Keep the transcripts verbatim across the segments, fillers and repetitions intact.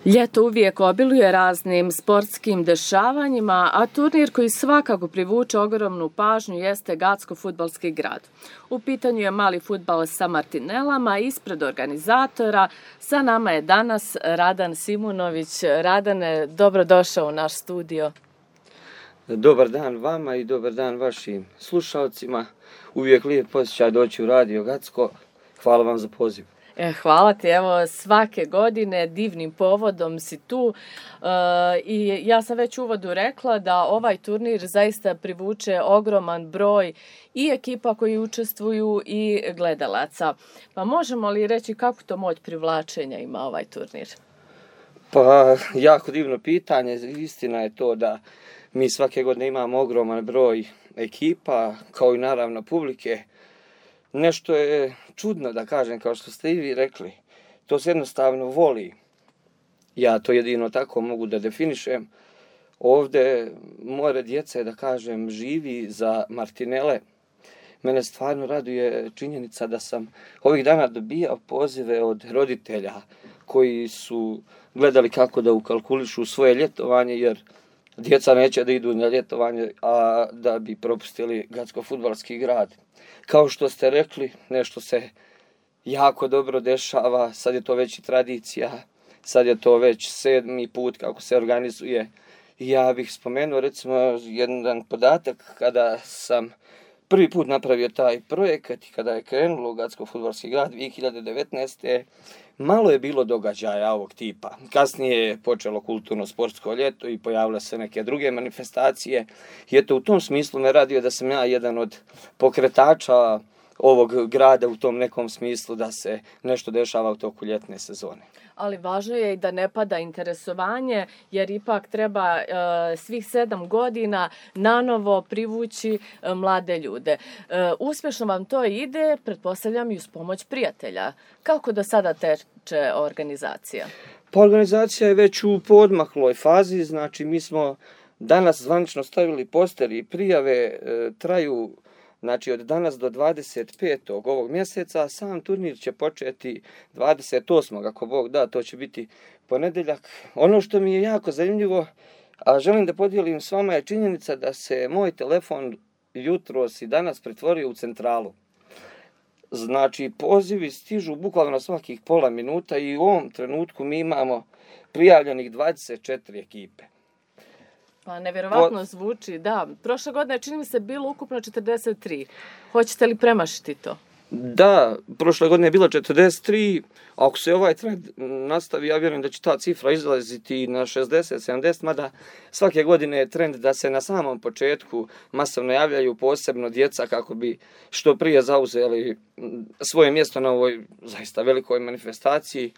Ljeto uvijek obiluje raznim sportskim dešavanjima, a turnir koji svakako privuče ogromnu pažnju jeste Gacko-fudbalski grad. U pitanju je mali fudbal sa Martinelama. Ispred organizatora sa nama je danas Radan Simunović. Radane, dobrodošao u naš studio. Dobar dan vama i dobar dan vašim slušalcima. Uvijek lijep osjećaj doći u Radio Gacko. Hvala vam za poziv. E, hvala ti, evo svake godine divnim povodom si tu e, i ja sam već u uvodu rekla da ovaj turnir zaista privuče ogroman broj i ekipa koji učestvuju i gledalaca. Pa možemo li reći kako to moć privlačenja ima ovaj turnir? Pa jako divno pitanje, istina je to da mi svake godine imamo ogroman broj ekipa, kao i naravno publike. Nešto je čudno da kažem, kao što ste i vi rekli. To se jednostavno voli. Ja to jedino tako mogu da definišem. Ovde more djece, da kažem, živi za Martinele. Mene stvarno raduje činjenica da sam ovih dana dobijao pozive od roditelja koji su gledali kako da ukalkulišu svoje ljetovanje, jer djeca neće da idu na ljetovanje, a da bi propustili Gacko-fudbalski grad. Kao što ste rekli, nešto se jako dobro dešava, sad je to već i tradicija, sad je to već sedmi put kako se organizuje. Ja bih spomenuo recimo jedan podatak kada sam prvi put napravio taj projekat i kada je krenulo u Gacko-fudbalski grad dvije hiljade devetnaeste. Malo je bilo događaja ovog tipa. Kasnije je počelo kulturno-sportsko ljeto i pojavile se neke druge manifestacije. I eto, u tom smislu me radio da sam ja jedan od pokretača ovog grada u tom nekom smislu da se nešto dešava u toku ljetne sezone. Ali važno je i da ne pada interesovanje, jer ipak treba e, svih sedam godina nanovo privući e, mlade ljude. E, uspješno vam to ide, pretpostavljam i uz pomoć prijatelja. Kako do sada teče organizacija? Pa organizacija je već u poodmakloj fazi, znači mi smo danas zvanično stavili poster i prijave e, traju znači od danas do dvadeset petog ovog mjeseca, sam turnir će početi dvadeset osmog ako Bog da, to će biti ponedjeljak. Ono što mi je jako zanimljivo, a želim da podijelim s vama, je činjenica da se moj telefon jutros i danas pretvorio u centralu. Znači, pozivi stižu bukvalno svakih pola minuta i u ovom trenutku mi imamo prijavljenih dvadeset četiri ekipe. Pa nevjerovatno zvuči, da. Prošle godine čini mi se bilo ukupno četrdeset tri. Hoćete li premašiti to? Da, prošle godine je bilo četrdeset tri. Ako se ovaj trend nastavi, ja vjerujem da će ta cifra izlaziti na šezdeset sedamdeset, mada svake godine je trend da se na samom početku masovno javljaju posebno djeca kako bi što prije zauzeli svoje mjesto na ovoj zaista velikoj manifestaciji.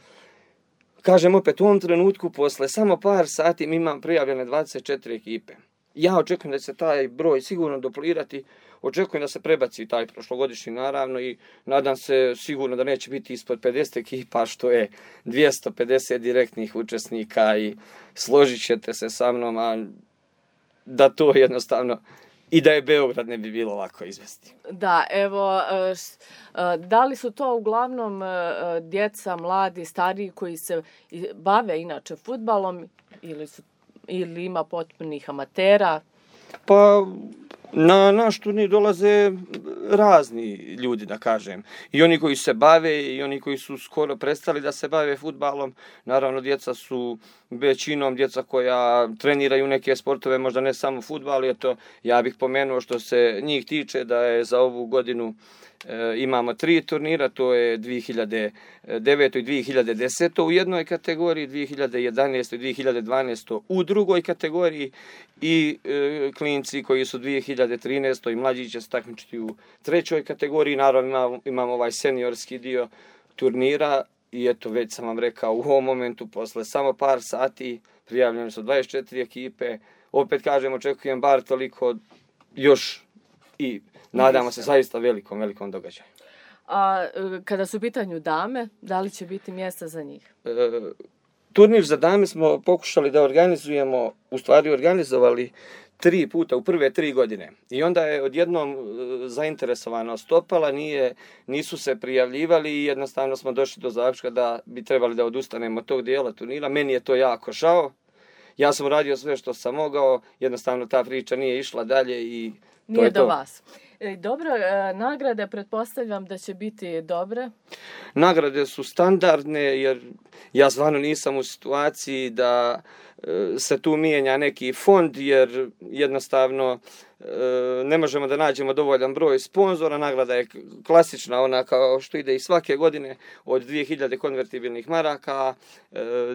Kažem opet, u ovom trenutku, posle samo par sati, mi imam prijavljene dvadeset četiri ekipe. Ja očekujem da će se taj broj sigurno duplirati, očekujem da se prebaci taj prošlogodišnji naravno i nadam se sigurno da neće biti ispod pedeset ekipa, što je dvjesto pedeset direktnih učesnika i složit ćete se sa mnom, a da to jednostavno i da je Beograd ne bi bilo lako izvesti. Da, evo, da li su to uglavnom djeca, mladi, stariji koji se bave inače fudbalom ili, su, ili ima potpunih amatera? Pa na naš turnir dolaze razni ljudi, da kažem. I oni koji se bave i oni koji su skoro prestali da se bave fudbalom. Naravno, djeca su većinom djeca koja treniraju neke sportove, možda ne samo fudbal. Eto, ja bih pomenuo što se njih tiče da je za ovu godinu e, imamo tri turnira, to je dvije hiljade devete i dvije hiljade desete u jednoj kategoriji, dvije hiljade jedanaeste i dvije hiljade dvanaeste u drugoj kategoriji i e, klinci koji su dvije hiljade trinaeste i mlađi će se takmičiti u trećoj kategoriji. Naravno imamo, imamo ovaj seniorski dio turnira i eto već sam vam rekao u ovom momentu posle samo par sati prijavljene su dvadeset četiri ekipe. Opet kažem, očekujem bar toliko još i nadamo se zaista velikom, velikom događaju. A kada su u pitanju dame, da li će biti mjesta za njih? E, turnir za dame smo pokušali da organizujemo, u stvari organizovali tri puta u prve tri godine. I onda je odjednom zainteresovanost opala, nije, nisu se prijavljivali i jednostavno smo došli do zaključka da bi trebali da odustanemo od tog dijela turnira. Meni je to jako žao. Ja sam uradio sve što sam mogao, jednostavno ta priča nije išla dalje i to nije je do to. vas. Dobro, nagrade pretpostavljam da će biti dobre? Nagrade su standardne jer ja stvarno nisam u situaciji da se tu mijenja neki fond jer jednostavno ne možemo da nađemo dovoljan broj sponzora. Nagrada je klasična, ona kao što ide i svake godine od dvije hiljade konvertibilnih maraka.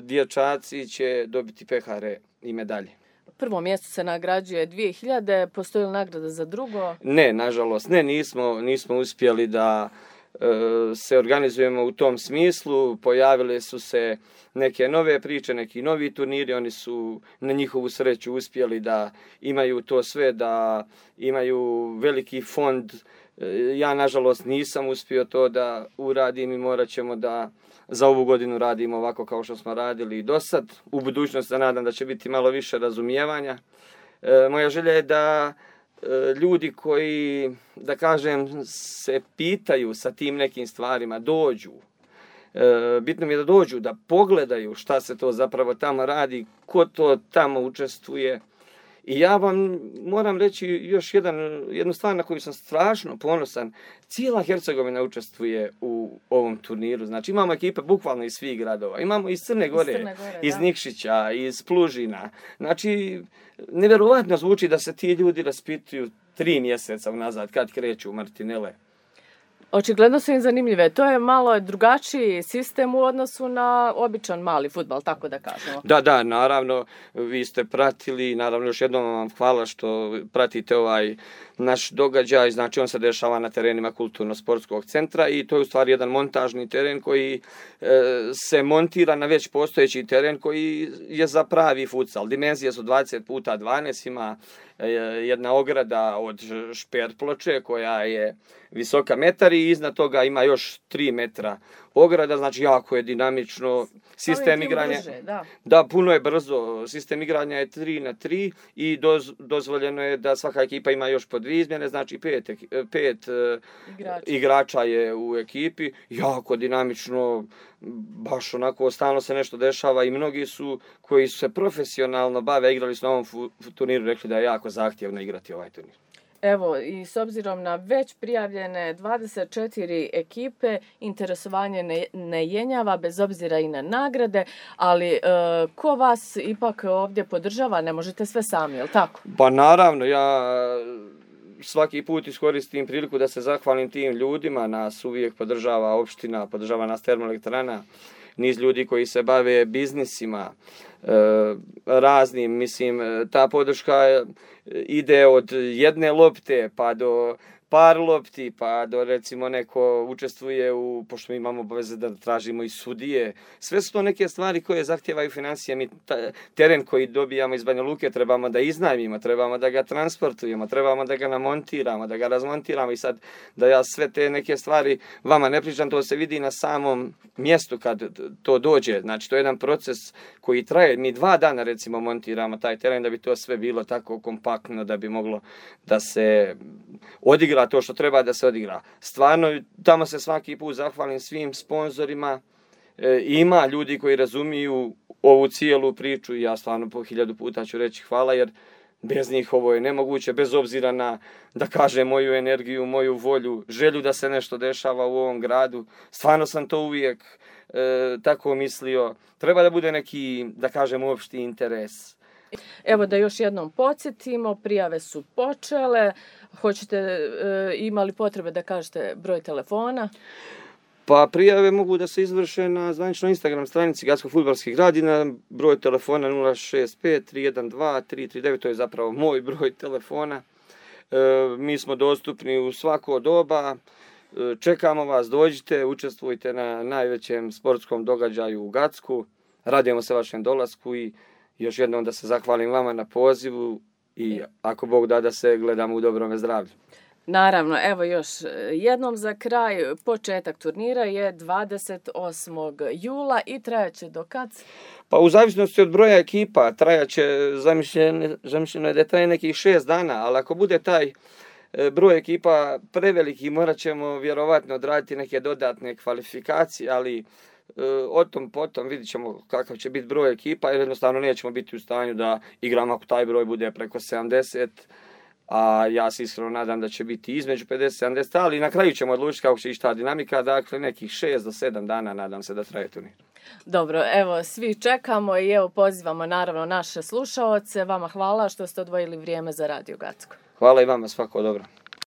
Dječaci će dobiti pehare i medalje. Prvo mjesto se nagrađuje dvije hiljade, postoji li nagrada za drugo? Ne, nažalost, ne, nismo, nismo uspjeli da e, se organizujemo u tom smislu. Pojavile su se neke nove priče, neki novi turniri, oni su na njihovu sreću uspjeli da imaju to sve, da imaju veliki fond. Ja, nažalost, nisam uspio to da uradim i morat ćemo da za ovu godinu radimo ovako kao što smo radili i do sad. U budućnosti se nadam da će biti malo više razumijevanja. E, moja želja je da e, ljudi koji, da kažem, se pitaju sa tim nekim stvarima, dođu. E, bitno mi je da dođu, da pogledaju šta se to zapravo tamo radi, ko to tamo učestvuje. I ja vam moram reći još jedan, jednu stvar na koju sam strašno ponosan. Cijela Hercegovina učestvuje u ovom turniru. Znači imamo ekipe bukvalno iz svih gradova. Imamo iz Crne Gore, iz, Crne Gore, iz Nikšića, iz Plužina. Znači, nevjerovatno zvuči da se ti ljudi raspituju tri mjeseca unazad kad kreću u Martinele. Očigledno su im zanimljive. To je malo drugačiji sistem u odnosu na običan mali fudbal, tako da kažemo. Da, da, naravno, vi ste pratili, naravno još jednom vam hvala što pratite ovaj naš događaj, znači on se dešava na terenima kulturno-sportskog centra i to je u stvari jedan montažni teren koji e, se montira na već postojeći teren koji je za pravi futsal. Dimenzije su dvadeset puta dvanaest, ima e, jedna ograda od šper ploče koja je visoka metar i iznad toga ima još tri metra ograda, znači jako je dinamično. Sistem igranja, brže, da. da, puno je brzo. Sistem igranja je tri na tri i doz, dozvoljeno je da svaka ekipa ima još po dvije izmjene, znači pet, pet igrača. igrača je u ekipi. Jako dinamično, baš onako stalno se nešto dešava i mnogi su koji su se profesionalno bave, igrali su na ovom turniru, rekli da je jako zahtjevno igrati ovaj turnir. Evo, i s obzirom na već prijavljene dvadeset četiri ekipe, interesovanje ne, ne jenjava, bez obzira i na nagrade, ali e, ko vas ipak ovdje podržava, ne možete sve sami, je li tako? Pa naravno, ja svaki put iskoristim priliku da se zahvalim tim ljudima, nas uvijek podržava opština, podržava nas termoelektrana, niz ljudi koji se bave biznisima, e, raznim, mislim, ta podrška ide od jedne lopte pa do par lopti, pa do recimo neko učestvuje u, pošto mi imamo obaveze da tražimo i sudije. Sve su to neke stvari koje zahtijevaju financije. Mi ta, teren koji dobijamo iz Banja Luke trebamo da iznajmimo, trebamo da ga transportujemo, trebamo da ga namontiramo, da ga razmontiramo i sad da ja sve te neke stvari vama ne pričam, to se vidi na samom mjestu kad to dođe. Znači to je jedan proces koji traje. Mi dva dana recimo montiramo taj teren da bi to sve bilo tako kompaktno, da bi moglo da se odigra to što treba da se odigra. Stvarno, tamo se svaki put zahvalim svim sponzorima. E, ima ljudi koji razumiju ovu cijelu priču i ja stvarno po hiljadu puta ću reći hvala, jer bez njih ovo je nemoguće, bez obzira na, da kažem, moju energiju, moju volju, želju da se nešto dešava u ovom gradu. Stvarno sam to uvijek e, tako mislio. Treba da bude neki, da kažem, opšti interes. Evo da još jednom podsjetimo, prijave su počele. Hoćete, e, imali potrebe da kažete broj telefona? Pa prijave mogu da se izvrše na zvaničnoj Instagram stranici Gatsko fudbalski grad i na broj telefona nula šest pet tri jedan dva tri tri devet, to je zapravo moj broj telefona. E, mi smo dostupni u svako doba. E, čekamo vas, dođite, učestvujte na najvećem sportskom događaju u Gacku. Radujemo se vašem dolasku i još jednom da se zahvalim vama na pozivu i ako Bog da da se gledamo u dobrome zdravlju. Naravno, evo još jednom za kraj, početak turnira je dvadeset osmog jula i trajaće do kad? Pa u zavisnosti od broja ekipa trajaće, zamišljeno, zamišljeno je da traje nekih šest dana, ali ako bude taj broj ekipa preveliki, morat ćemo vjerovatno odraditi neke dodatne kvalifikacije, ali o tom potom vidit ćemo kakav će biti broj ekipa, jer jednostavno nećemo biti u stanju da igramo ako taj broj bude preko sedamdeset, a ja se iskreno nadam da će biti između pedeset i sedamdeset, ali na kraju ćemo odlučiti kako će ići ta dinamika, dakle nekih šest do sedam dana nadam se da traje turnir. Dobro, evo svi čekamo i evo pozivamo naravno naše slušaoce. Vama hvala što ste odvojili vrijeme za Radio Gacko. Hvala i vama, svako dobro.